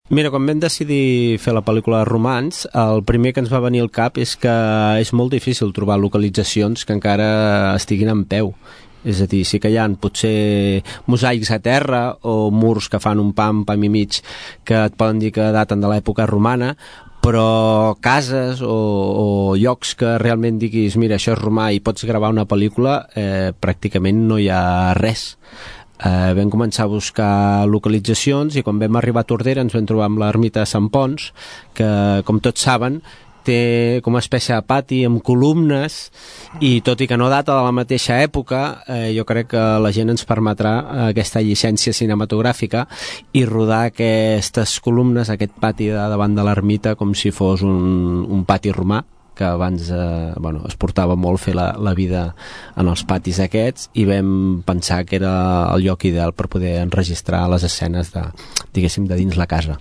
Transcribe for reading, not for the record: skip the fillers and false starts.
Mira, quan vam decidir fer la pel·lícula de romans, el primer que ens va venir al cap és que és molt difícil trobar localitzacions que encara estiguin en peu. És a dir, sí que hi ha potser mosaics a terra o murs que fan un pam i mig que et poden dir que daten de l'època romana, però cases o llocs que realment diguis mira, això és romà i pots gravar una pel·lícula, pràcticament no hi ha res. Vam començar a buscar localitzacions i quan vam arribar a Tordera ens vam trobar amb l'ermita de Sant Pons, que com tots saben té com una espècie de pati amb columnes i tot i que no data de la mateixa època, jo crec que la gent ens permetrà aquesta llicència cinematogràfica i rodar aquestes columnes, aquest pati de davant de l'ermita com si fos un pati romà, que abans es portava molt fer la vida en els patis aquests, i vam pensar que era el lloc ideal per poder enregistrar les escenes de, diguéssim, de dins la casa.